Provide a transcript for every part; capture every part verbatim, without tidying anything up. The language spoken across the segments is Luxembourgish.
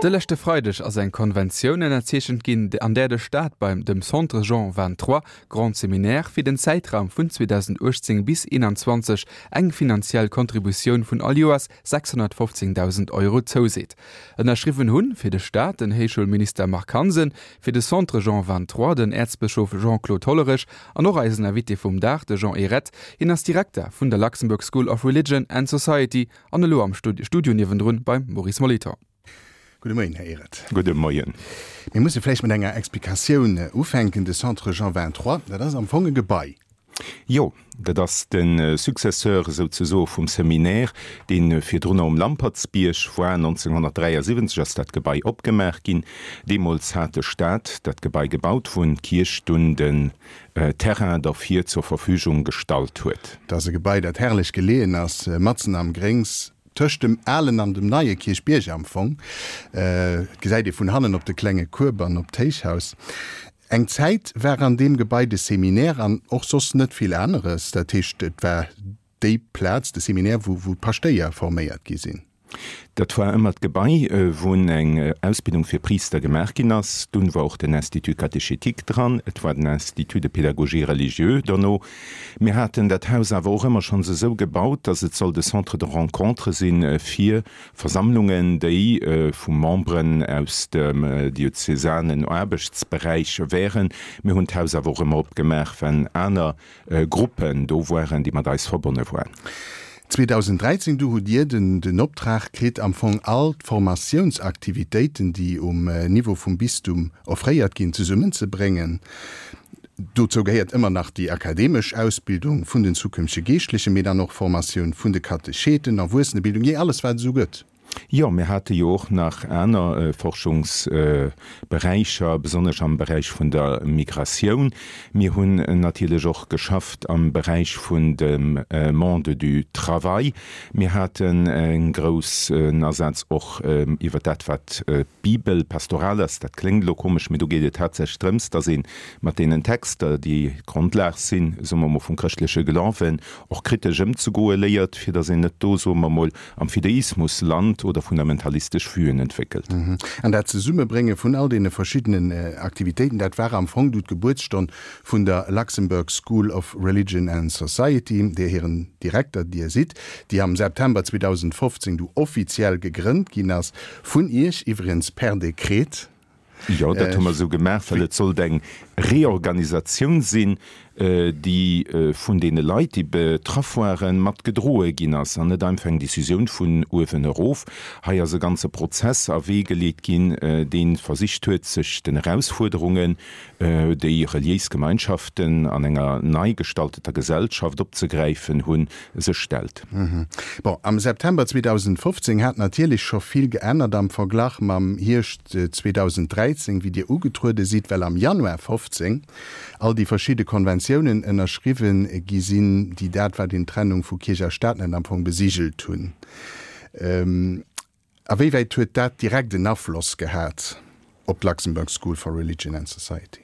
De leschte Freideg ass eng Konventioun ënnerzeechent ginn, an där de Staat beim dem Centre Jean Vingt-Trois Grand Séminaire fir den Zäitraum vun zweedausendachtzéng bis eenanzwanzeg eng finanziell Kontributioun vun all Joers sechshonnertfofzéngdausend Euro zouseet. Ënnerschriwwen hunn fir de Staat den Héichschoulminister Marc Hansen, fir de Centre Jean Vingt-Trois den Äerzbëschof Jean-Claude Hollerich an och eisen Invité vum Dag, de Jean Ehret. Hien ass Direkter vun der Luxembourg School of Religion and Society an elo am Studio niewendrun beim Maurice Molitor. Gudde Moien, Här Ehret. Gudde Moien. Mir musse vläicht mat enger Explikatioun ufänken. De Centre Jean Vingt-Trois, dat ass am Fong e Gebai. Jo, dat ass de Successeur souzesoe vum Seminaire, dee virdrunner um Lampertsbierg war. nonzénghonnertdräiasiwwenzeg ass dat Gebai opgemaach ginn. Deemools hat de Staat dat Gebai gebaut, wou d'Kierch dunn den Terrain derfir zur Verfügung gestallt huet. Dat ass e Gebai, dat herrlech geleeën ass, matzen am Gréngs, tëscht dem alen an dem neie Kierchbierg am Fong. Et gesäit ee vun hannen op de klenge Kueb an op d'Héichhaus. Eng Zäit war an deem Gebai de Seminaire an och soss net vill aneres. Dat heescht, et war déi Plaz, de Seminaire, wou wou d'Paschtéier forméiert gi sinn. Dat war ëmmer d'Gebai, wou eng Ausbildung fir Priister gemaach ginn ass. Dunn war och den Institut catéchétique dran, et war den Institut de pédagogie religieuse derno. Mir haten dat Haus awer och ëmmer schonns esou gebaut, dass et sollt e Centre de rencontre si fir Versammlungen, déi vu Memberen aus dem diözesanen Aarbechtsberäich wären. Mir hunn d'Haus awer och ëmmer opgemaach, wenn aner Gruppen do waren, déi mat eis verbonne waren. zweedausendräizéng du hutt Dir den den Optrag kritt, am Fong all d'Formatiounsaktivitéiten, déi um Niveau vum Bistum offréiert ginn, zesummenzebréngen. Dozou gehéiert ëmmer nach déi akademesch Ausbildung vun den zukünftege Geeschtlechen, mee dann och Formatioun vun de Katecheten, Erwuessenebildung, jee alles wat et esou gëtt. Jo, mir hate jo och nach aner Forschungsberäicher, besonnesch am Beräich vun der Migratioun. Mir hunn natierlech och geschafft am Beräich vun dem Monde du travail. Mir haten e groussen Asaz och iwwer dat, wat d'Bibelpastoral ass. Dat kléngt elo komesch, mee do geet et haaptsächlech drëms, dass ee mat deenen Texter, déi d'Grondlag sinn, soe mer emol, vum chrëschtleche Glawen, och kritesch ëmzegoe léiert, fir dass een net do, soe mer emol, am Fideismus lant oder fundamentalistesch Vuen entwéckelt. An dat Zesummebrénge vun all deene verschiddenen Aktivitéiten, dat war am Fong du d'Gebuertsstonn vun der Luxembourg School of Religion and Society, där hiren Direkter Dir sidd, déi am September zweedausendfofzéng du offiziell gegrënnt ginn ass, vun Iech iwwregens per Dekret. Jo, dat hu mer esou gemaach, well et sollt eng Reorganisatioun sinn, déi vun deene Leit, déi betraff waren, mat gedroe ginn ass, an net einfach eng Décisioun vun uewen erof. Hei ass e ganze Prozess a Wee geleet ginn, dee versicht huet, sech den Erausfuerderungen, déi reliéis Gemeinschaften an enger nei gestalteter Gesellschaft opzegräifen hunn, sech stellt. Bon, am September zweedausendfofzéng hat natierlech scho vill geännert am Verglach mam Hierscht zweedausendräizéng, wéi Dir ugetruede sidd, well am Januar fofzéng all déi verschidde Konventiounen ënnerschriwwen gi sinn, déi dat, wat een Trennung vu Kierch a Staat nennt, am Fong besigelt hunn. A wéi wäit huet dat direkt en Afloss gehat op d'Luxembourg School for Religion and Society?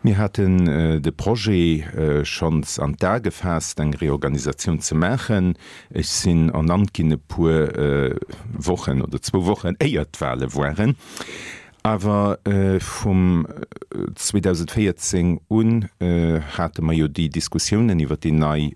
Mir haten de Projet schonns an d'A gefaasst, eng Reorganisatioun ze maachen. Ech sinn ernannt ginn e puer Wochen oder zwou Wochen éier d'Wahle waren. Awer vum zweedausendvéierzéng un hate mer jo déi Diskussiounen iwwer déi nei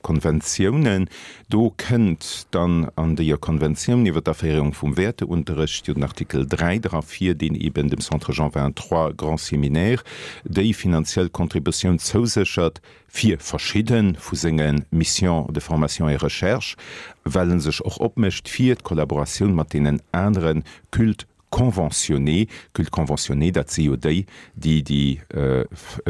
Konventiounen. Do kënnt dann an deeër Konventioun iwwer d'Aféierung vum Wäerteunterrecht jo den Artikel dräi dra vir, deen eeben dem Centre Jean Vingt-Trois Grand Séminaire déi finanziell Contributioun zouséchert fir verschidde vu senge Missions de formation et recherche, well e sech och opmécht fir d'Kollaboratioun mat deenen anere Cultes conventionnés. Cultes conventionnés, dat si jo déi, déi déi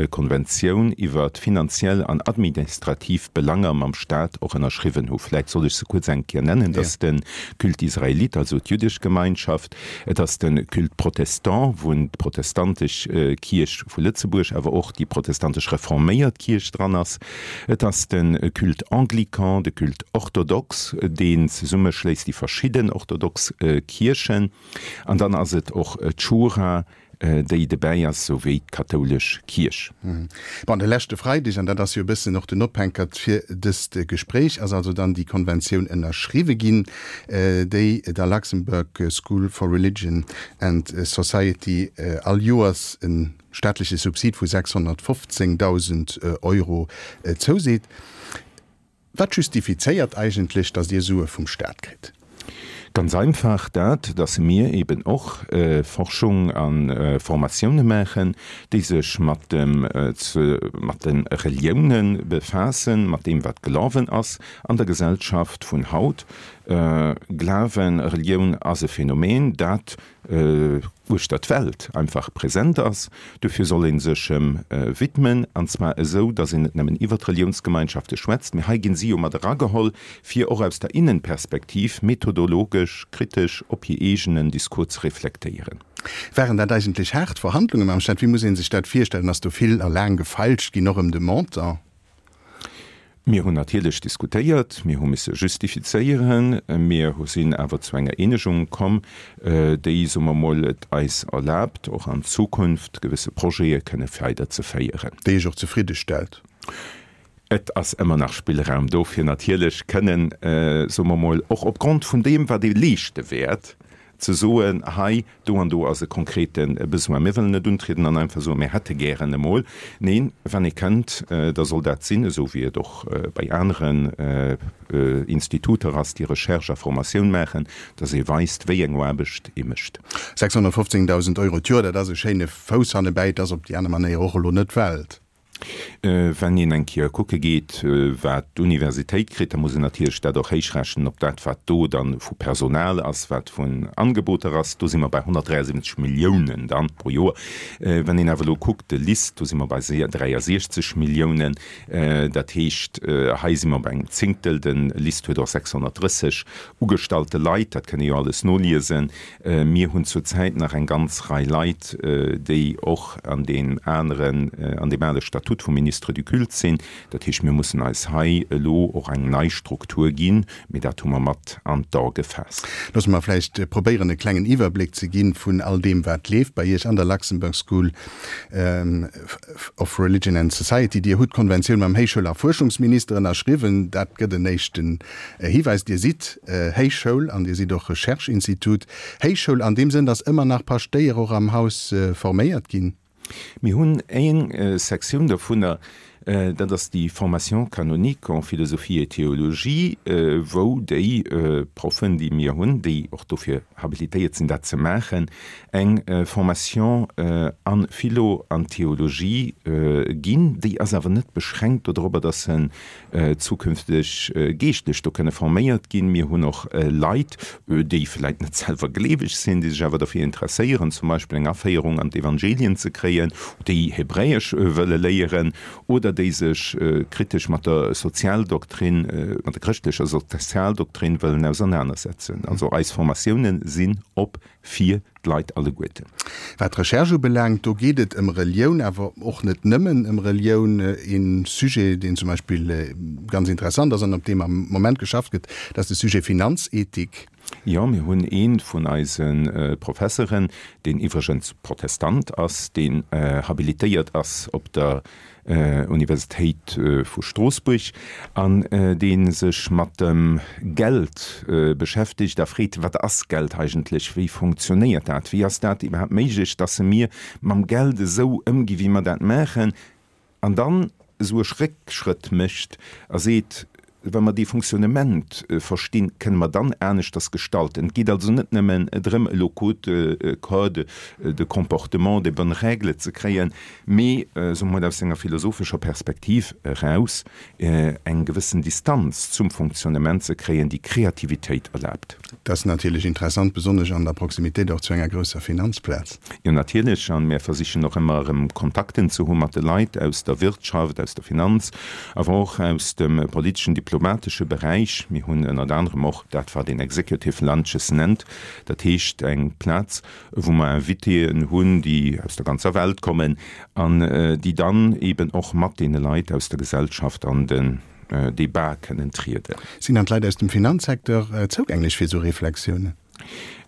Konventioun iwwer finanziell an administrativ Belanger mam Stat och ënnerschriwwen hu. Vläicht soll ech se kuerz eng Kéier nennen. Dat ass de Culte israélite, also d'jüddesch Gemeinschaft. Et ass de Culte protestant, wou d'protestantesch Kierch vu Lëtzebuerg, awer och déi protestantesch reforméiert Kierch dran ass. Et ass de Culte anglican, de Culte orthodoxe, deen zesummeschléisst déi verschidden orthodox Kierchen. An dann ass et och d'Schura, déi dobäi ass, sou wéi d'kathoulesch Kierch. Bon, de leschte Freideg, an dat ass jo e bëssen och den Ophänkert fir dëst Gespréich, ass also dann déi Konventioun ënnerschriwwe ginn, déi der Luxembourg School for Religion and Society all Joers e staatleche Subsid vu sechshonnertfofzéngdausend Euro zouseet. Wat justifizéiert eigentlech, datt Dir Sue vum Staat kritt? Ganz einfach dat, datt mir eben och Forschung a Formatioune maachen, déi sech mat dem, mat de Relioune befaassen, mat deem wat Glawen ass an der Gesellschaft vun haut. Glawen, Relioun ass e Phänomen, dat uechter d'Welt einfach present ass. Dofir soll ee sech em widmen, an zwar esou, datt een net nëmmen iwwer d'Reliounsgemeinschafte schwätzt, mee hei ginn si jo mat erageholl, fir och aus der Innenperspektiv methodologesch kritesch op hir eegenen Discours ze reflektéieren. Waren dat eigentlech haart Verhandlunge mam Staat? Wéi muss ee sech dat virstellen? Ass do vill a laang gefeilscht ginn, och ëm de Montant? Mir hunn natierlech diskutéiert, mir hu misse justifizéieren, mir sinn awer zu enger Eenegung komm, déi, soe mer mol, et eis erlaabt, och an Zukunft gewësse Projete kënne weiderzeféieren. Déi Iech och zefridde stellt? Et ass ëmmer nach Spillraum do, fir natierlech kënnen, soe mer mol, och opgrond vun deem, wat ee leeschte wäert, ze soen, hei, do an do ass e konkrete Besoin. Mir wëllen net untrieden an einfach soen, mir hätte gären emol. Neen, wann ee kënnt, da soll dat sinn, esou wéi et och bei aneren Instituter ass, déi Recherche a Formatioun maachen, dass ee weist, wéi eng Aarbecht ee mécht. Sechshonnertfofzéngdausend Euro d'Joer, dat ass e schéine Fouss hannebäi. Et ass op déi aner Manéier och elo net d'Welt. Wann een eng Kéier kucke geet, wat d'Universitéit kritt, da muss een natierlech dat och héichrechnen op dat, wat do dann vu Personal ass, wat vun Angeboter ass. Do si mer bei honnertdräiasiwwenzeg Milliounen dann pro Joer. Wann een awer elo kuckt, de LIST, do si mer bei dräiasiechzeg Milliounen. Dat heescht, hei si mer bei engem Zéngtel. De LIST huet och sechshonnertdrësseg ugestallte Leit, dat kënnt ee jo alles noliesen. Mir hunn zurzäit nach eng ganz Rei Leit, déi och an deem aneren, an deem ale Statut vum Ministre du Culte sinn. Dat heescht, mir mussen eis hei elo och eng nei Struktur ginn, mee dat hu mer mat an d'A gefaasst. Loosse mer vläicht probéieren, e klengen Iwwerbléck ze ginn vun all deem, wat leeft bei Iech an der Luxembourg School of Religion and Society. Dir hutt d'Konventioun mam Héichschoul a Fuerschungsminister ënnerschriwwen. Dat gëtt en éischten Hiwäis. Dir sidd Héichschoul an Dir sidd och Recherche-Institut. Héichschoul an deem Sënn, datt ëmmer nach Paschtéier och am Haus forméiert ginn? Mir hunn eng Sektioun dovunner, dat ass déi Formation canonique en philosophie et théologie, wou déi Proffen, déi mir hunn, déi och dofir habilitéiert sinn, dat ze maachen, eng Formation a Philo an Théologie ginn. Déi ass awer net beschränkt dodropper, dass se zukünfteg Geeschtlech do kënne forméiert ginn. Mir hunn och Leit, déi vläit net selwer gleeweg sinn, déi sech awer derfir interesséieren, zum Beispill eng Aféierung an d'Evangelien ze kréien, déi Hebräesch wëlle léieren oder déi sech kritesch mat der Sozialdoktrin, mat der chrëschtlecher Sozialdoktrin wëllen ausernanersetzen. Also eis Formatiounen sinn op fir d'Leit alleguerten. Wat d'Recherche ubelaangt, do geet et ëm Relioun, awer och net nëmmen ëm Relioun. Ee Sujet, deen zum Beispill ganz interessant ass an op deem am Moment geschafft gëtt, dat ass de Sujet Finanzethik. Jo, mir hunn ee vun eise Professeren, deen iwwregens Protestant ass, deen habilitéiert ass op der Universitéit vu Stroossbuerg an dee sech mat dem Geld beschäftegt a freet, Wat ass Geld eigentlech? Wéi funktionéiert dat? Wéi ass dat iwwerhaapt méiglech, dass mir mam Geld esou ëmgi wéi mer dat maachen? An dann esou e Réckschrëtt mécht a seet, Wa mer dee Fonctionnement verstinn, kënne mer dann aneschters gestalten. Et geet also net nëmmen drëm, elo Code, Code de comportement, des bonnes règles ze kréien, mee, soe mer mol, aus enger philosophescher Perspektiv eraus eng gewëssen Distanz zum Fonctionnement ze kréien, déi Kreativitéit erlaabt. Dat ass natierlech interessant, besonnesch an der Proximitéit och zu enger grousser Finanzplaz. Jo, natierlech. A mir versichen och ëmmer erëm Kontakten ze hu mat de Leit aus der Wirtschaft, aus der Finanz, awer och aus dem politeschen, diplomatesche Beräich. Mir hunn ënnert anerem och dat, wat een Executive Lunches nennt, dat heescht eng Plaz, wou mer Invitéen hunn, déi aus der ganzer Welt kommen an déi dann eeben och mat deene Leit aus der Gesellschaft an den Debat kënnen trieden. Sinn dann d'Leit aus dem Finanzsecteur zougänglech fir esou Reflexiounen?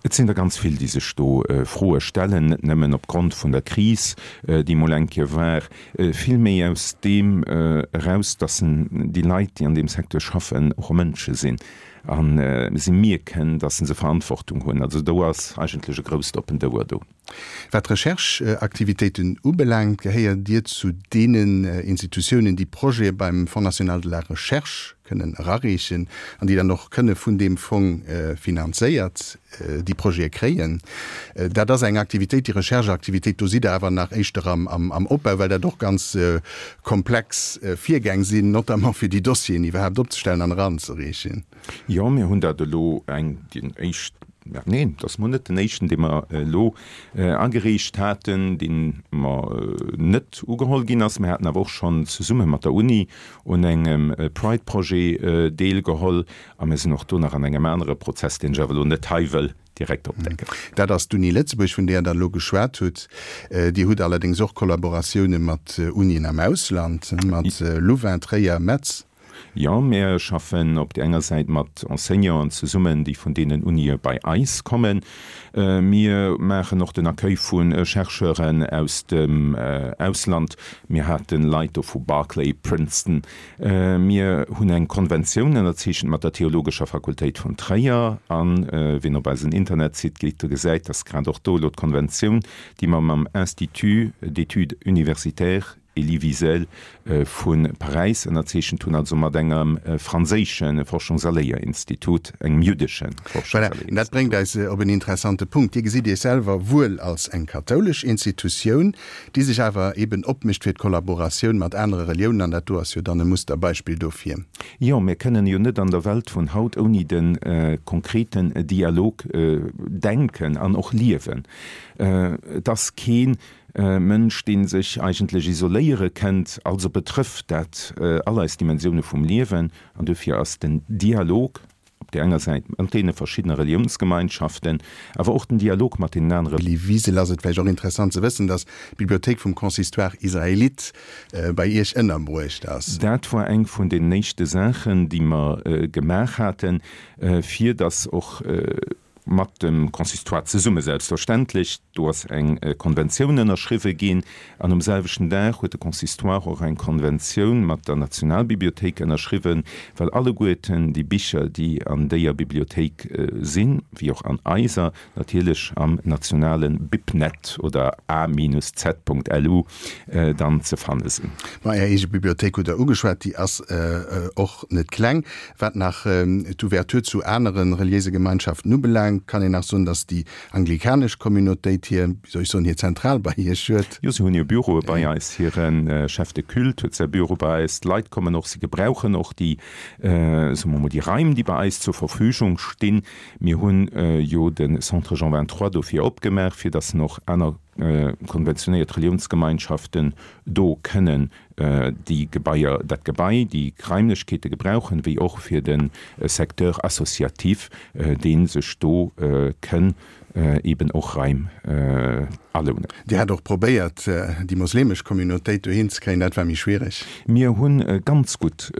Et sinn der ganz vill, déi sech do Froe stellen, net nëmmen opgrond vun der Kris, déi mol eng Kéier war, vill méi aus deem eraus, dass déi Leit, déi an deem Secteur schaffen, och Mënsche sinn a si mierken, dass se Verantwortung hunn. Also do ass eigentlech e grousst oppent Ouer do. Wat d'Recherche-Aktivitéiten ubelaangt, gehéiert Dir zu deenen Institutiounen, déi Projete beim Fonds national de la recherche kënnen erareechen an déi dann och kënne vun deem Fong finanzéiert déi Projete kréien. Dat ass eng Aktivitéit, déi Recherche-Aktivitéit, do sidd Der awer nach éischter am Opbau, well dat och ganz komplex Virgäng sinn, notamment fir déi Dossieren iwwerhaapt opzestellen an eranzereechen. Jo, mir hunn dat elo eng, déi éischt, neen, et ass mol net den éischten, dee mer elo agereecht haten, dee mer net ugeholl ginn ass. Mir haten awer och schonn zesumme mat der Uni un engem Pride-Projet deelgeholl a mir sinn och do nach an engem anere Prozess, deen ech awer elo net hei wëll direkt opdecken. Dat ass d'Uni Lëtzebuerg, vun där Der elo geschwat hutt. Dir hutt allerdéngs och Kollaboratioune mat Unien am Ausland, mat Louvain, Tréier, Metz. Jo, mir schaffen op där enger Säit mat Enseignanten zesummen, déi vun deenen Unië bei eis kommen. Mir maachen och den Accueil vu Chercheuren aus dem Ausland. Mir hate Leit do vu Berkeley, Princeton. Mir hunn eng Konventioun ënnerzeechent mat der Theologescher Fakultéit vun Tréier. A wien op eisen Internetsite geet, de gesäit, dass grad och do elo d'Konventioun, déi mer mam Institut d'études universitaires, Elie Wiesel vu Paräis ënnerzeechent hunn, also mat engem franséische Forschungs a Léierinstitut, engem jüddesche Forschungs a Voilà, Léierinstitut. dat bréngt eis op en interessante Punkt. Dir gesitt Iech selwer wuel als eng kathoulesch Institutioun, déi sech awer eben opmécht fir d'Kollaboratioun mat anere Reliounen, an dat do ass jo dann e Musterbeispill dofir. Jo, mir kënnen jo net an der Welt vun haut ouni de konkreten Dialog denken an och liewen. Et ass kee Mënsch, dee sech eigentlech isoléiere kënnt. Also betrëfft dat all eis Dimensioune vum Liewen. An dofir ass den Dialog op där enger Säit mat deene verschiddene Reliounsgemeinschaften, awer och den Dialog mat deenen anere. Elie Wiesel, Ass et vläicht och interessant ze wëssen, datt d'Bibliothéik vum Consistoire israélite bei Iech ënnerbruecht ass? Dat war eng vun den éischte Saachen, déi mer gemaach haten, fir datt och mat dem Consistoire zesumme selbstverständlech, do ass eng Konventioun ënnerschriwwe ginn an um selwechten Dag huet de Consistoire och eng Konventioun mat der Nationalbibliothéik ënnerschriwwen, well alleguerten déi Bicher, déi an déier Bibliothéik sinn, wéi och an eiser, natierlech am nationale BibNet oder a-z.lu dann ze fanne sinn. Ma Är eege Bibliothéik hutt Der ugeschwat, déi ass och net kleng. Wat nach d'Ouverture zu anere reliéise Gemeinschaften ubelaangt, kann een nach soen, datt déi anglikanesch Communautéit hir, wéi soll ech soen, hir Zentral bei Iech huet. Jo, si hunn hir Büroe bei eis. Hire Chef de culte huet säi Büro bei eis. D'Leit kommen och, si gebrauchen och déi, soe mer mol, déi Raim, déi bei eis zur Verfügung stinn. Mir hunn jo de Centre Jean vingt-trois dofir opgemaach, fir datt en och aner konventionéiert Reliounsgemeinschaften do kënnen déi Gebaier, dat Gebai, déi Raimlechkeete gebrauchen, wéi och fir de Secteur associatif, dee sech do kënn eben och Raim alounen. Dir hat och probéiert, déi moslemesch Communautéit dohin ze kréien, dat war méi schwiereg. Mir hu ganz gutt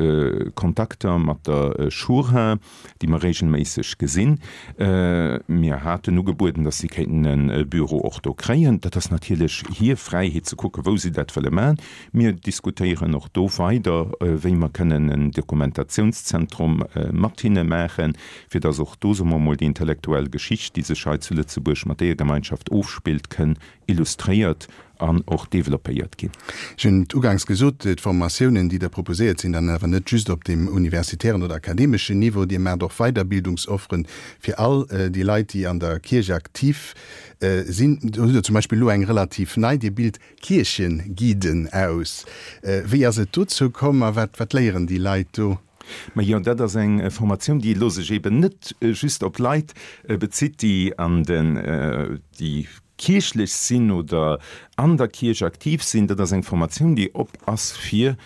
Kontakter mat der Schura, déi mer regelméisseg gesinn. Mir haten ugebueden, datt si kéinten e Büro och do kréien. Dat ass natierlech hir Fräiheet ze kucken, wou si dat wëlle maachen. Mir diskutéieren och do weider, wéi mer kënnen en Dokumentationszentrum mat hinne maachen, fir datt och do, soe mer emol, déi intellektuell Geschicht, déi sech hei zu Lëtzebuerg mat deeër Gemeinschaft ofspillt, kënn illustréiert an och developpéiert ginn. Ech hunn et uganks gesot, d'Formatiounen, déi Der proposéiert, sinn dann awer net just op dem universitären oder akademeschen Niveau. Dir maacht och Weiderbildungsofferen fir all déi Leit, déi an der Kierch aktiv sinn. Do hutt Der zum Beispill elo eng relativ nei, Dir bilt Kiercheguiden aus. Wéi ass et dozou komm a wat, wat léieren déi Leit do? Majo, dat ass eng Formatioun, déi elo sech eben net just op Leit bezitt, déi an den, déi kierchlech sinn oder an der Kierch aktiv sinn. Dat ass eng Formatioun, déi op ass fir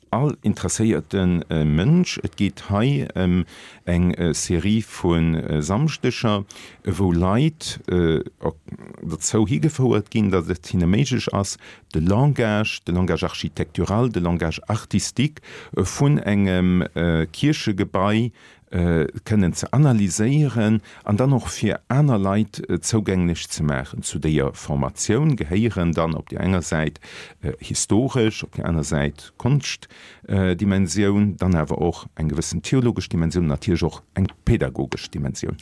all interesséierte Mënsch. Et geet hei ëm eng Serie vu Samschdeger, wou Leit dozou higefouert ginn, datt et hinne méiglech ass, de Langage, de Langage architectural, de Langage artistique vun engem Kierchegebai kënnen ze analyséieren an dann och fir aner Leit zougänglech ze maachen. Zu déier Formatioun gehéieren dann op déi enger Säit historesch, op déi aner Säit Konschtdimensioun, dann awer och eng gewëssen theologesch Dimensioun, natierlech och eng pädagogesch Dimensioun.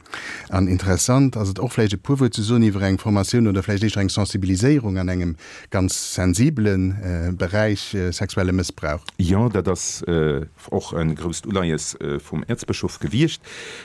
An interessant ass et och vläicht e puer Wuert ze soen iwwer eng Formatioun oder vläicht éischter eng Sensibiliséierung an engem ganz sensibele Beräich, sexuelle Mëssbrauch. Jo, dat ass och e grousst Uleies vum Äerzbëschof gewiescht.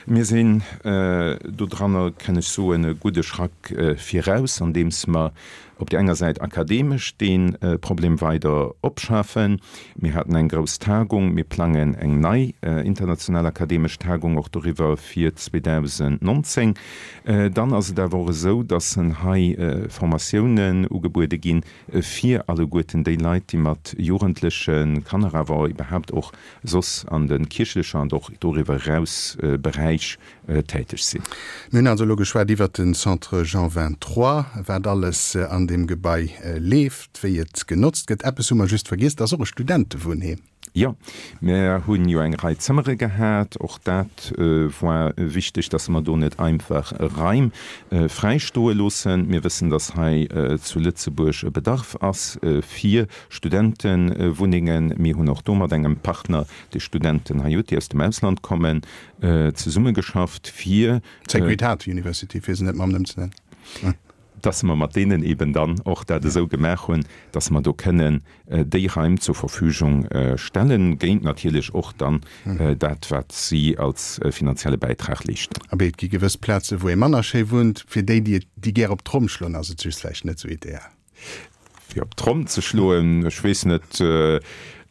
Mir sinn dodranner, kann ech soen, e gudde Schrack viraus, andeems mer op där enger Säit akademesch dee Problem weider opschafen. Mir haten eng grouss Tagung, mir plangen eng nei international akademesch Tagung och doriwwer fir zweedausendnonzéng. Dann ass et awer och esou, dass hei Formatiounen ugebuede ginn fir alleguerten déi Leit, déi mat Jugendlechen, Kanner awer iwwerhaapt och soss an de kierchlecher an och doriwwer eraus Beräich täteg sinn. Mir hunn also elo geschwat iwwert den Centre Jean vingt-trois, wat alles an deem Gebai leeft, wéi et genotzt gëtt. Eppes hu mer just vergiess, et ass och e Studentewunnheem. Jo, mer hunn jo eng Rei Zëmmere gehat. Och dat war wichteg, dass mer do net einfach Raim fräi stoe loossen. Mir wëssen, dass hei zu Lëtzebuerg e Bedarf ass fir Studentewunnengen. Mir hunn och do mat engem Partner, dee Studenten hei huet, déi aus dem Ausland kommen, zesummegeschafft, fir. D'Sacred Heart University, fir se net mam Numm ze nennen. Dass mer mat deenen eben dann och dat esou gemaach hunn, dass mer do kënnen déi Raim zur Verfügung stellen, géint natierlech och dann dat, wat si als finanzielle Bäitrag leeschten. Abee, et gi gewëss Plaze wou ee manner schéi wunnt. Fir déi, déi et, déi gär op d'Tromm schloen, ass et just vläicht net esou ideal. Fir op d'Tromm ze schloen, ech weess net.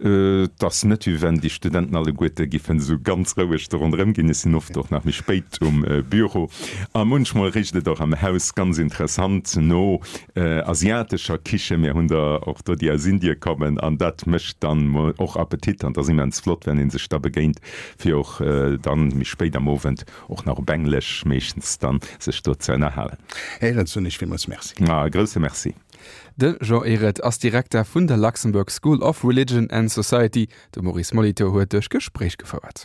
Et ass net, wéi wenn déi Studenten alleguerte giffen esou ganz roueg do ronderëm ginn. Ech sinn oft och nach méi spéit um Büro. A munchmol richt et och am Haus ganz interessant no asiatescher Kiche. Mir hunn der och do, déi aus Indie kommen. An dat mécht dann och Appetit. An et ass immens flott, wenn ee sech da begéint, fir och dann méi spéit am Owend och nach op Englesch meeschtens dann sech do ze ënnerhalen. Här Ehret, soen ech villmools Merci. Ma e grousse Merci. De Jean Ehret ass Direkter vun der Luxembourg School of Religion and Society. De Maurice Molitor huet duerch Gespréich gefouert.